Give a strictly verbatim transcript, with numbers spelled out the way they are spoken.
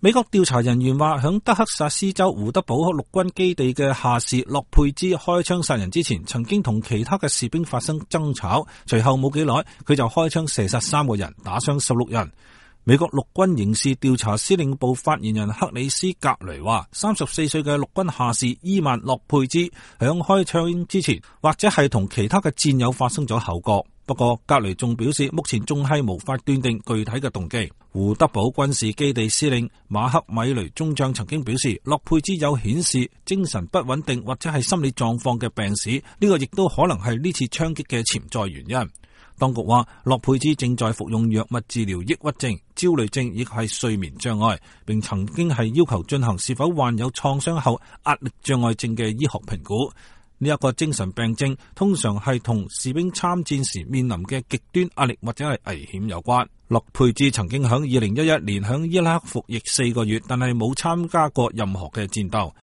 美國調查人員話，響德克薩斯州胡德堡陸軍基地嘅下士洛佩茲開槍殺人之前，曾經同其他嘅士兵發生爭吵，隨後冇幾耐，佢就開槍射殺三個人，打傷十六人。美國陸軍刑事調查司令部發言人克里斯格雷話，三十四歲嘅陸軍下士伊曼洛佩茲響開槍之前，或者係同其他嘅戰友發生咗口角。不過格雷仲表示，目前仲係無法斷定具體嘅動機。胡德堡軍事基地司令馬克米雷中將曾經表示，洛佩茲有顯示精神不穩定或者係心理狀況嘅病史，呢個亦都可能係呢次槍擊嘅潛在原因。當局話，洛佩茲正在服用藥物治療抑鬱症、焦慮症亦係睡眠障礙，並曾經係要求進行是否患有創傷後壓力障礙症嘅醫學評估。呢一個精神病症通常係同士兵參戰時面臨嘅極端壓力或者係危險有關。洛佩茲曾經響二零一一年響伊拉克服役四個月，但係冇參加過任何嘅戰鬥。